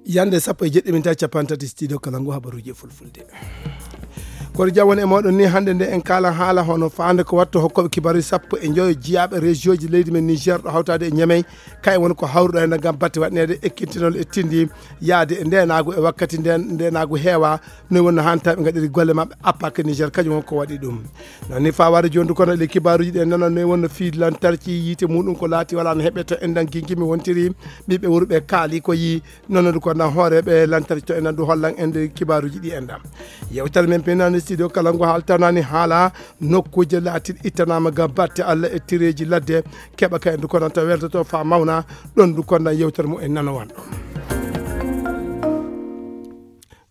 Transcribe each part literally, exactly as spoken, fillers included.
Yande sappo e jeɗɗi min tawi capanɗe tati studio kala ngu habaruji e fulfulde. Kono jam woni e moɗon ni hannde nde en kaala haala hono faande ko watto hokkoɓe kibaruji sappo e njoyo jiyaaɓe région ji leydi men Niger ɗo hawtaade e Niamey. Kay woni ko hawruɗo heen ngam batte waɗneede ekkintinol e tindi yaade e ndeenaagu e wakkati nden ndeenaagu heewa. No wonno hanta ɓe ngaɗiri golle maɓɓe appak Niger kañum won ko waɗi ɗum. Nani fawaade jooni kono ɗi kibaruji ɗe nana no wonno fii lantarki yiite muɗum ko laati wala no heɓe to endan gingimi wontiri ɓiɓɓe wuro ɓe kaali ko yi. Noon ko na hooreeɓe lantarki to enen du hollan en nder kibaaruji ɗi enɗam. Yewtere men penani studio kala ngo haaltanani haala nokkuuje laatiɗe ittanaama ngam batte Allah e tireeji ladde keɓa ka en du kono to weltoto fa mawna. Ɗon du kono yewtere mu en nano wanɗo.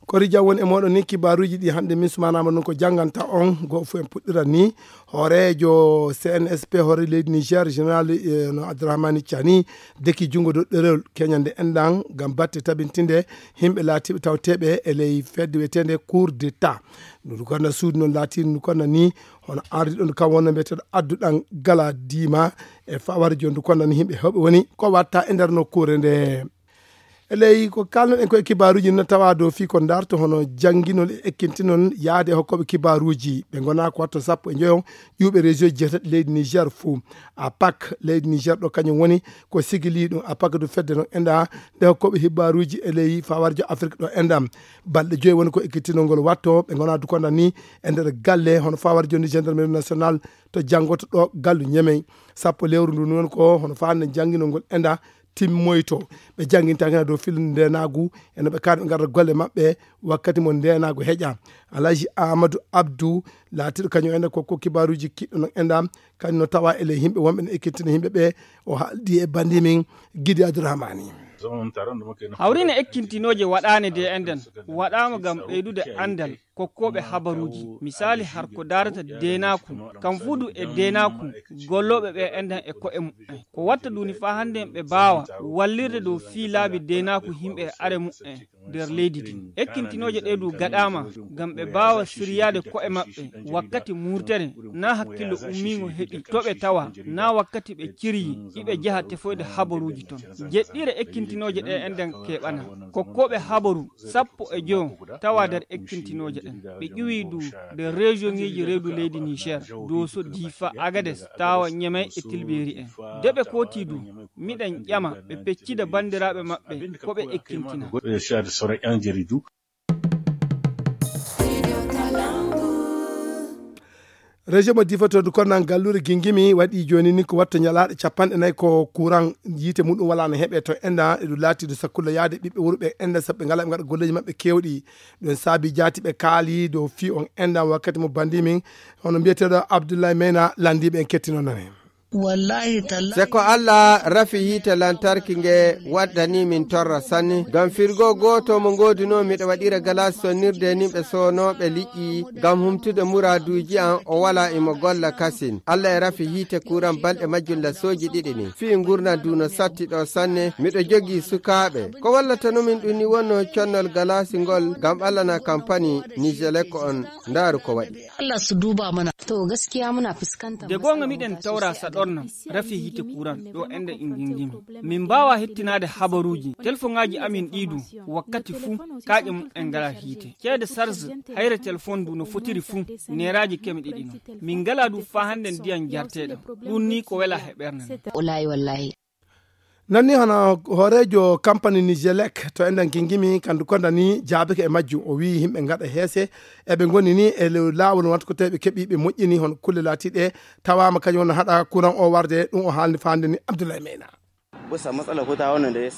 Kori jam woni e moɗon ni kibaaruji ɗi hannde min sumanama noon ko jannganta on go fof en puɗɗiran ni. Hooreejo C N S P hoore leydi Niger général eh, no Abdourahmane Tiani deki junngo dow ɗerewol keñande enɗan ngam batte tabintinde yimɓe laatiiɓe tawteeɓe e ley fedde wiyeteende cour d'état. Ndu konna suudu noon laatiiɗo ndu konna ni hono ardi ɗon kam wonno mbiyeteeɗo adduɗan gala diima e fawar jooni ndu konna ni yimɓe heewɓe woni ko watta e nder nokkuure nde. E ley ko kalnoɗen ko e kibaaruuji no tawa dow fii ko darto hono jannginol e ekkintinol yaade e hokkooɓe kibaaruuji ɓe ngona ko watto sappo e njoyo ƴuuɓe région jeetati leydi Niger fuu. A pak leydi Niger ɗo kañum woni ko sigili ɗum a pak du fedde noon enɗa nde hokkooɓe hibaaruuji e ley fawarjo Afrik ɗo enɗam. Balɗe joyi woni ko ekkitinol ngol watto ɓe ngona dukonda ni e nder galle hono fawarjo ni gendarmerie national to janngoto ɗo gallu ñemey. Sappo lewru ndu noon ko hono faande jannginol ngol enɗa timmoyto. Ɓe janngintaake na dow filde ndenaagu e no ɓe kaari ɓe ngarda golle maɓɓe wakkati mo ndenaagu heƴa. Alhaji Amadou Abdou laatiiɗo kañum ene ko ko kibaaruuji kiɗɗo no enɗam kañum no tawa e ley yimɓe wonɓe no ekkitina yimɓe ɓe. O haaldi e bandi min Gidi Abdourahmani. Hawrine ekkintinooje waɗaane de enɗan waɗaama ngam ɓeydude anndal kokkooɓe habaruuji. Misaali har ko daarata deenaaku kam fudu e deenaaku gollooɓe ɓe enɗan e ko'e muɓɓen ko watta duni faa hannde ɓe mbaawa wallirde dow fii laabi deenaaku yimɓe e are muɓɓen nder leydi ndi. Ekkintinooje ɗe du gaɗaama ngam ɓe mbaawa siryaade ko'e maɓɓe wakkati murtere na hakkillo ummiingo heɓi to ɓe tawa na wakkati ɓe ciryi iɓe njaha tefoyde habaruuji ton. Jeɗɗire ekkintinooje ɗe enɗan keɓana kokkooɓe habaru sappo e jowo tawa nder ekkintinooje ɗen. Ɓe ƴuwi du nder région ŋeeji reedu leydi Niger, Doso, Difa, Agades, Tawa, Ñemey e Tilberi en. De ɓe kooti du, miɗen ƴama ɓe peccida banndiraaɓe maɓɓe ko ɓe ekkintina. Région mo Difa to du kono nan galluure Gingimi waɗi jooni ni ko watta ñalaaɗe capanɗe nayi ko courant yiite muɗum wala no heɓe to enda e ɗum laati du sakkulla yaade ɓiɓɓe wuro ɓe enda sabu ɓe ngala ɓe ngaɗa golleeji maɓɓe keewɗi. Ɗum saabi jaati ɓe kaali dow fii on enda wakkati mo bandi min hono mbiyeteeɗo Abdoulaye Mena landiiɓe en kettino nane. Wallahi tallahi. Se ko Allah rafi yiite lantarki nge waddani min torra sanne. Ngam firgo gooto mo ngoodunoo miɗo waɗira galas sonnirde e nimɓe soonooɓe liƴƴi ngam humtude muraaduuji am o walaa imo golla kasin. Allah e rafi yiite kuuran balɗe majjum lasooji ɗiɗi ni. Fii ngurndan du no satti ɗo sanne. Miɗo jogii sukaaɓe. Ko wallata no min ɗum ni wonno connol galaasi ngol ngam Allah na kampani Nijelek on. Ndaaru ko waɗi. Allah su duba mana. To gaskiya muna fuskanta De goonga miɗen tawra saɗornam rafi yiite kuuran ɗo enɗan ingingimi. Min mbaawa hettinaade habaruuji. Telefoŋaaji amin ɗii du wakkati fuu kaaƴe mum en ngalaa yiite. Ceede sarge hayre telefoŋ du no fotiri fuu neeraaji keme ɗiɗi non. Min ngalaa du faa hannden ndiyam jarteeɗam. Ɗum nii ko welaa he ɓernde men. Wallahi wallahi. Nanni hono hooreejo kampani Nijelek to enɗan gingimi kandu konda ni jaabike e majjum o wii yimɓe ngaɗa heese eɓe ngoni ni e lew laawol wonata ko tawi ɓe keɓi ɓe moƴƴini hono kulle laatiɗe tawaama kañum wona haɗa kuran o warde ɗum o haalni faande ni Abdoulaye Meyna.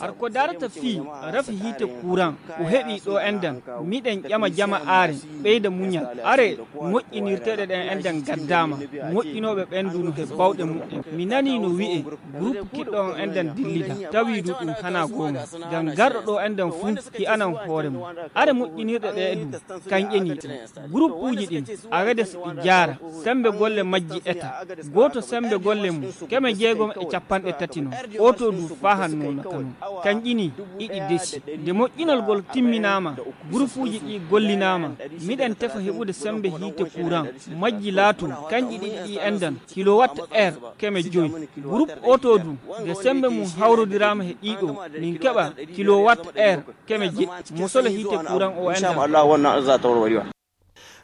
Har ko darata fii rafi hiite kuran o heɓi ɗo enɗan miɗen ƴama jama are ɓeyda muñal are moƴƴinirteeɗe ɗen enɗan gaddaama moƴƴinooɓe ɓen du no he bawɗe muɓɓen mi nanii no wi'e groupe kiɗɗo on enɗan dillida tawii du ɗum hanaa goonga ngam garɗo ɗo enɗan fuu hi'anan hoore mum are moƴƴinirɗe ɗe du kanƴe ni ɗum groupuuji ɗin awedes ɗi jaara sembe golle majji eta gooto sembe golle mum keme jeegom e capanɗe tati non oto Ngu fahanno no kano. Kanƴini iɗi desi. Nde moƴƴinol ngol timminaama, gurupuuji ɗi gollinaama, miɗen tefa heɓude semmbe hiite kuran. Majji laatoo kanƴi ɗiɗi ɗi enndan kilowatt heure keme joyi. Gurup oto du, nde semmbe mum hawrodiraama he ɗiɗo, min keɓa kilowatt heure keme jeɗɗi mosole hiite kuran o enndan.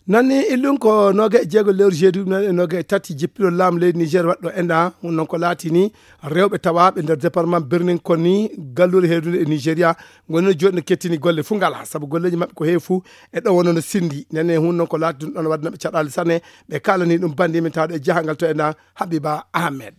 Nanni illun ko noga e jeego lewru jeeɗiɗi ɗum e noga e tati jippiro laamu leydi Niger waɗɗo enda. Ɗum noon ko laatini rewɓe tawaaɓe nder département Birnin Konni, galluure heedunde e Nigeria, ngoni no jooɗi no kettini golle fuu ngala, sabu golleeji maɓɓe ko heewi fuu e ɗo wonno no sinndi. Nene hun noon ko laati ɗum ɗon waɗde naɓe caɗaali sanne, ɓe kaalani ɗum bandi min tawde e jahangal to enda Habiba Ahmed.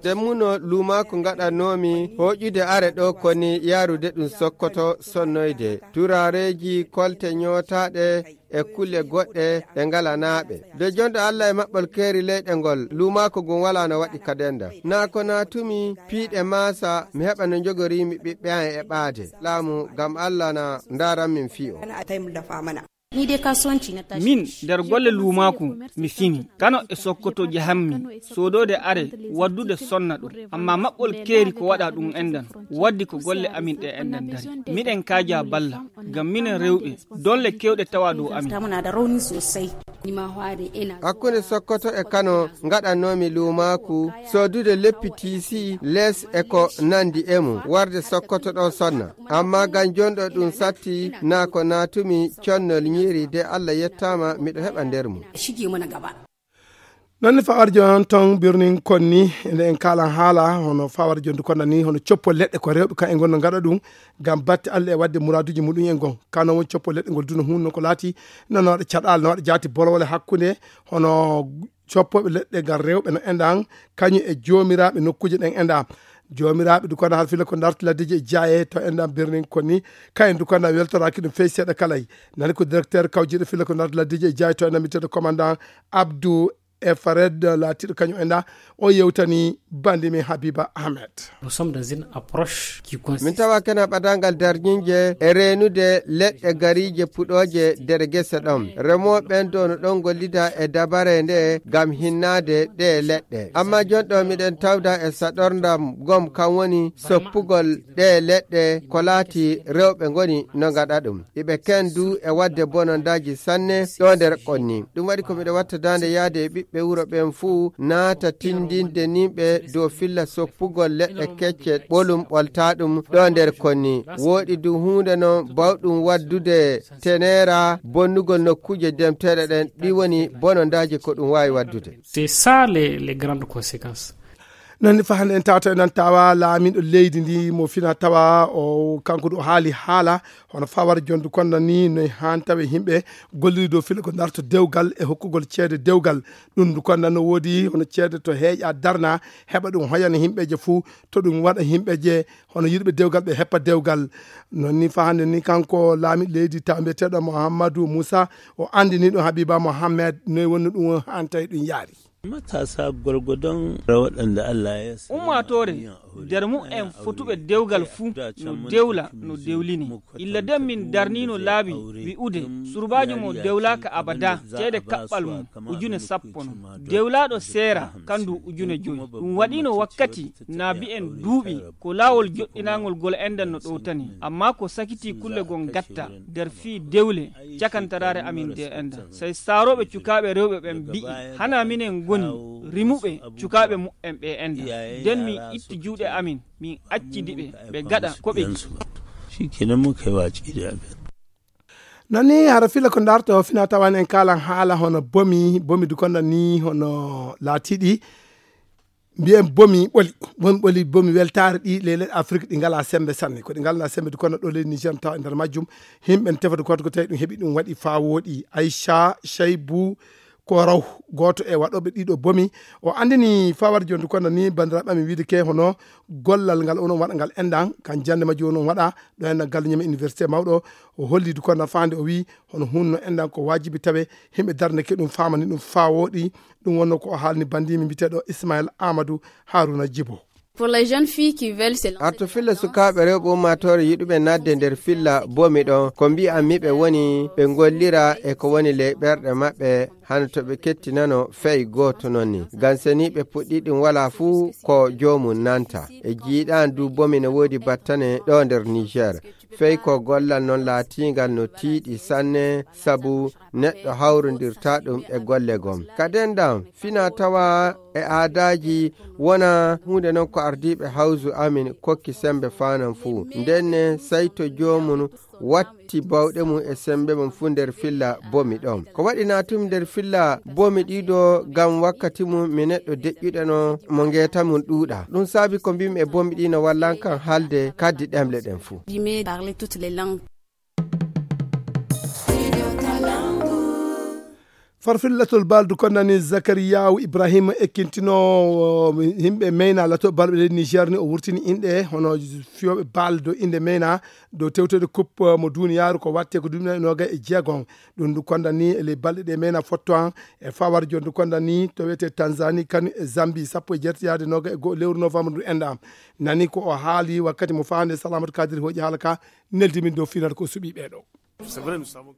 Ɗemmuno luumaaku ngaɗannoomi hooƴude are ɗo koni yaarude ɗum Sokoto sonnoyde. Turaareeji kolte ñootaaɗe e kulle goɗɗe ɗe ngalanaaɓe. De jonɗo Allah e maɓɓol keeri leyɗe ngol, luumaaku ngun walaa no waɗi kadenda. Naa ko naatumi piiɗe maasa, mi heɓa no njogoriimi ɓiɓɓe an e ɓaade. Laamu, ngam Allah na ndaaran min fiyo. Min, nder golle luumaaku, mi fini. Kano e Sokoto jahammi, soodoode are, waddude sonna ɗo. Amma maɓɓol keeri ko waɗa ɗum enɗan. Waddi ko golle amin ɗe enɗan dari. Miɗen kaaja balla, ngam minen rewɓe, dolle kewɗe tawa dow amin. Hakkunde Sokoto e Kano, ngaɗannoomi luumaaku, soodude leppi tiisi, les e ko nandi e mum, warde Sokoto ɗo sonna. Amma ngam jonɗo ɗum satti, naa ko naatumi connol ñiiri de Allah yettaama miɗo heɓa nder mum. Non ne fawar jon ton birnin konni, nde en kaalan haala, hono fawar jon du konna ni, hono coppo leɗɗe ko rewɓe kan e ngonno ngaɗa ɗum, ngam batte Allah e waɗde muraaduuji muɗum en gon. Kano won coppo leɗɗe ngol duno hun non ko laati, no no waɗa caɗaal, no waɗa jaati bolwole hakkunde, hono coppoɓe leɗɗe ngal rewɓe no enɗan, kañum e joomiraaɓe nokkuuje ɗen enɗan. Joomiraaɓe du konna har fila ko darti laddeji e jaaye to enɗan birnin konni, kayen du konna weltoraaki ɗum fey seeɗa kalay. Nani ko directeur kawjiɗo fila ko darti laddeji e jaaye to enɗan miteɗo commandant Abdou e Fared laatiiɗo kañum enɗan, o yewtani bandi min Habiba Ahmed. Nous sommes dans une approche qui consiste. Min tawa kena ɓadangal darñinje e reenude leɗɗe gariije puɗooje nder gese ɗon. Remooɓe ɓen do no ɗon gollida e dabare nde ngam hinnaade ɗe leɗɗe. Amma jon ɗo miɗen tawda e saɗorndam gom kan woni soppugol ɗe leɗɗe ko laati rewɓe ngoni no ngaɗa ɗum. Iɓe ken du e waɗde bonondaaji sanne ɗo nder konni. Ɗum waɗi ko miɗo watta daande yaade e ɓiɓɓe wuro ɓen fuu naata tindinde nimɓe dow filla soppugol leɗɗe kecce ɓolum ɓolta ɗum ɗo nder konni. Wooɗi du huunde non bawɗum waddude teneera bonnugol nokkuuje demteeɗe ɗen, ɗi woni bonondaaji ko ɗum waawi waddude. C'est ça les, les grandes conséquences. Non ni fahande en tawata en tawa laamiɗo leydi ndi mo fina tawa o kanko ɗo haali haala hono fawar jondu konno ni no han tawe himɓe golliri dow fila ko darto dewgal e hokkugol ceede dewgal. Ɗum ndu konno no woodi hono ceede to heeƴa darna heɓa ɗum hoyana himɓeje fuu to ɗum waɗa himɓeje hono yiɗɓe dewgal ɓe heppa dewgal. Non ni fahande ni kanko laamiɗo leydi tawa mbiyeteɗo Mouhamadou Moussa o andini ɗum Habiba Mohammed noy wonno ɗum han tawi ɗum yaari. Matasa gwargwadon waɗanda Allah ya sa. Ummaatoore nder mu'en fotuɓe dewgal fuu no dewla no dewlini. Illa den min darniino laabi wi'ude surbaajo mo dewlaaka abada ceede kaɓɓal mum ujune sappo non. Dewlaaɗo seera kandu ujune jowi. Ɗum waɗiino wakkati na bi'en duuɓi ko laawol joɗɗinaangol gol enɗan no ɗowtani. Amma ko sakitii kulle gon gatta nder fii dewle cakantaraare amin de enɗan. Sey saarooɓe cukaaɓe rewɓe ɓen bi'i, hana minen ngoni rimuɓe cukaaɓe mu'en ɓe enɗan. Den min itti juuɗe amin, min accidi ɓe, ɓe gaɗa ko ɓe yiɗi. Shi kenan muka yi watsi da abin. Non ni hara fila ko darto fina tawan en kaalan haala hono bomi, bomi du konno ni hono laatiɗi. Mbiyen bomi ɓoli, bomi ɓoli, bomi weltaare ɗi leyɗe Afrik ɗi ngalaa semmbe sanne. Ko ɗi ngalnaa semmbe du konno ɗo leydi Niger tawa e nder majjum. Himɓe n tefata gooto ko tawi ɗum heɓi ɗum waɗi faa wooɗi. Aisha Shaibu ko raw gooto e waɗooɓe ɗiɗo bomi. O andini fawar jondu konno ni banndiraaɓe amin wiide ke hono gollal ngal onon waɗa ngal enɗan kan jannde majjum onon waɗa ɗo enɗan galle ñame université mawɗo. O holli du konno faande o wii hono hunno enɗan ko waajibi tawe himɓe darneke ɗum faamani ɗum faa wooɗi. Ɗum wonno ko o haalni bandiimi mbiyeteeɗo Ismail Amadou Haruna Jibo. Pour les jeunes filles qui veulent se lancer arto filla sukaaɓe rewɓe ummaatoore yiɗuɓe naatde nder filla bomi ɗon, ko mbi'anmi ɓe woni ɓe ngollira e ko woni ley ɓerɗe maɓɓe, hano to ɓe kettinano fey gooto noon ni. Ngam seniiɓe puɗɗi ɗum walaa fuu ko joomum nanta. E jiiɗaan du bomi ne woodi battane ɗo nder Niger. Fey ko gollal noon laatiingal no tiiɗi sanne, sabu neɗɗo hawrondirta ɗum e golle gom. Ka dendan, fina tawa e aadaaji wona huunde noon ko ardiiɓe hawzu amin kokki sembe faanan fuu. Nden ne, sey to joomum watti bawɗe mum e sembe mum fuu nder filla bomi ɗon. Ko waɗi naatum nder filla bomi ɗiɗo ngam wakkati mum mi neɗɗo deƴƴuɗo no mo ngeeta mum ɗuuɗa. Ɗum saabi ko mbimi e bomi ɗi no wallan kan haalde kaddi ɗemle ɗen fuu. D'aimer parler toutes les langues. Farfil latol baldu konnani Zakariyawu Ibrahima ekkintinoowo yimɓe meyna lato balɓe leydi Niger ni o wurtini inɗe hono fiyooɓe bal dow innde meyna dow tewtede coupe mo duniyaaru ko watte ko duuɓi noga e jeegon. Ɗum ndu konnani e ley balɗe ɗe meyna fotto an e fawar jon ndu konnani to wiyete Tanzanie kanu e Zambie sappo e jeetati yaade noga e go'o lewru novembre ndu enɗa. Nani ko o haali wakkati mo fahande Salamatu Kadiri hooƴi haala ka neldi min dow finata ko suɓi ɓeeɗo.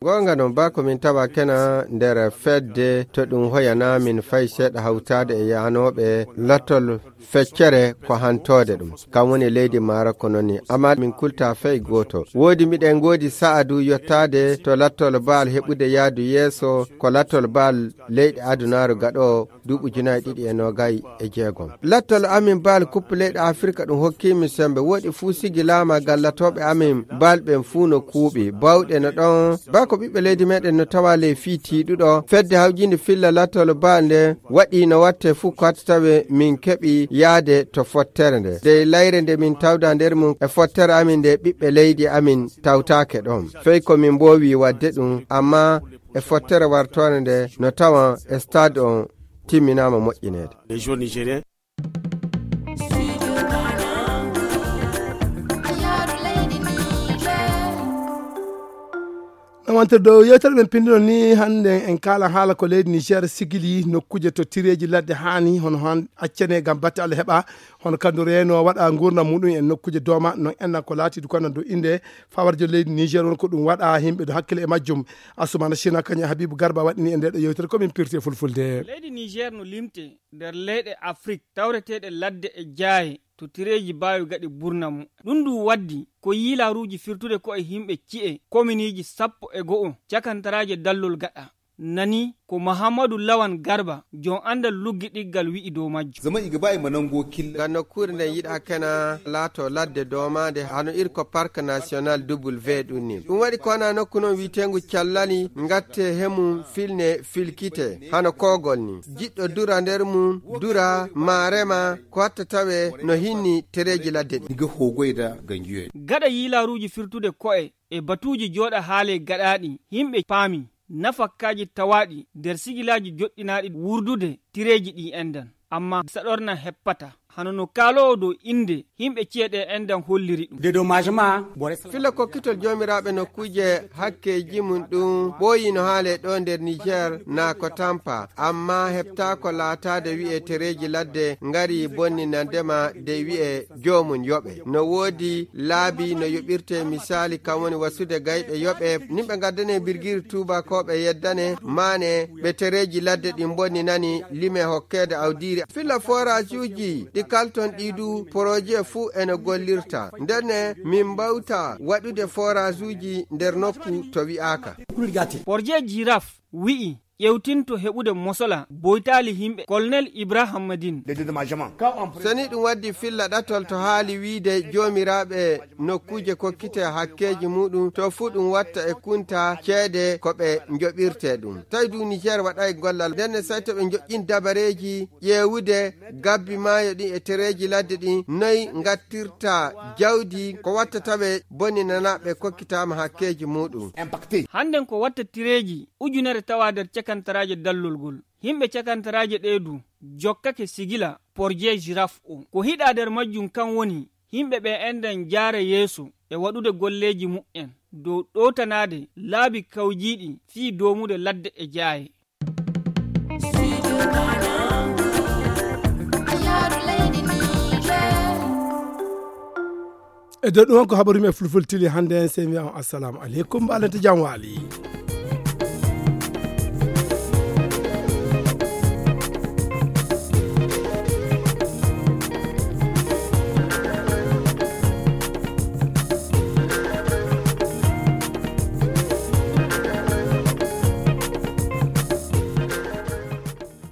Goonga noon, ba ko min tawa kena nder fedde to ɗum hoyana min fay seeɗa hawtaade e yaanooɓe lattol feccere ko hantoode ɗum. Kam woni leydi Maroc ko noon ni. Amma min kulta fay gooto. Woodi miɗen ngoodi sa'adu yottaade to lattol baal heɓude yaadu yeeso ko lattol baal leyɗe adunaaru gaɗo duuɓi ujunaaji ɗiɗi e noogay e jeegom. Lattol amin baal kuppu leyɗe Afirka ɗum hokkiimi sembe. Woɗi fuu sigi laama gallatooɓe amin baal ɓen fuu no kuuɓi. Bawɗe no ɗon. Baa ko ɓiɓɓe leydi meɗen no tawa ley fii tiiɗuɗo. Fedde hawjinde filla lattol baal nde waɗi no watte fuu ko hatta tawe min keɓi yaade to fottere nde. Dey layre nde min tawda nder mum e fottere amin nde ɓiɓɓe leydi amin tawtaake ɗon. Fey ko min mboowi waɗde ɗum, amma e fottere wartoore nde no tawa e stade on timminaama moƴƴineede. No wonte dow yewtere men pindino ni hannde en kaala haala ko leydi Niger sigili nokkuuje to tireeji ladde haani hono han accane ngam batte Allah heɓa hono kandu reeno waɗa ngurnam muɗum en nokkuuje dooma non enna ko laatiidu kono dow innde fawarjo leydi Niger won ko ɗum waɗa himɓe do hakkile e majjum. Asumana Sina kañum e Habibu Garba waɗini e nde ɗo yewtere ko min pirti e fulfulde. Leydi Niger no limte nder leyɗe Afrik tawreteeɗe ladde e jaaye to tireeji baawi gaɗi burna mu. Ɗum ndu waddi ko yiilaaruuji firtude ko e himɓe ci'e kominiiji sappo e go'o cakantaraaje dallol gaɗa. Nani ko Mahammadu Lawan Garba, jom anndal luggiɗiggal wi'i dow majjum. Zama iga ba ima nango killa. Ngam nokkuure nden yiɗa kena laato ladde doomaande hano irko Parc National W ɗum ni. Ɗum waɗi ko wona nokku non wi'eteengu callali ngatte hemum filne filkite hano koogol ni. Jiɗɗo dura nder mum, dura, maa rema, ko hatta tawe no hinni tereeji ladde ɗin. Niga hogoyda gangiyoyi. Gaɗa yiilaaruuji firtude ko'e e batuuji jooɗa haale gaɗaaɗi, himɓe paami nafakkaaji tawaaɗi nder sigilaaji joɗɗinaaɗi wurdude tireeji ɗi endan. Amma saɗorna heppata, hano no kaaloowo dow innde himɓe ci'e ɗe endan holliri ɗum. Dédommagement, bore sa- Fila kokkitol joomiraaɓe nokkuuje hakkeeji mum ɗum ɓooyi no haale ɗo nder Niger naa ko tampa, amma heɓtaako laataade wi'e tereeji ladde ngari bonninandema de wi'e joomum yoɓe. No woodi laabi no yoɓirte, misaali kam woni wasude gayɓe yoɓe, nimɓe ngaddane birgiri tuubakooɓe yeddane, maane ɓe tereeji ladde ɗin bonninani lime hokkeede awdiiri. Fila foraajuuji ɗi kalton ɗi du, poroje fuu ene gollirta. Ndenne min mbawta waɗude foraajuuji nder nokku to wi'aaka. Porje Jiraf wi'i ƴewtinto heɓude mosola boytaali himɓe. Colonel Ibrahim Madin. Seni ɗum waddi filla ɗatol to haali wiide joomiraaɓe nokkuuje kokkite hakkeeji muɗum to fuu ɗum watta e kunta ceede ko ɓe njoɓirte ɗum. Tawi du Niger waɗay gollal ndenne say to ɓe njoƴƴin dabareeji ƴeewude gabbi maayo ɗin e tereeji ladde ɗin noy ngattirta jawdi ko watta tawe boninanaaɓe kokkitaama hakkeeji muɗum. Hannden ko watta tireeji ujunere tawa nder cakantaraaje dallol ngol. Himɓe cakantaraaje ɗee du jokkake sigila porje Jiraf o. Ko hiɗa nder majjum kan woni himɓe ɓe enɗen jaara yeeso e waɗude golleeji muɓɓen dow ɗowtanaade laabi kawjiiɗi fii doomude ladde e jaaye. E dow ɗum on ko habaru men fulfultili hannde en, sey mi on assalamu aleykum, mbaalante jam waali.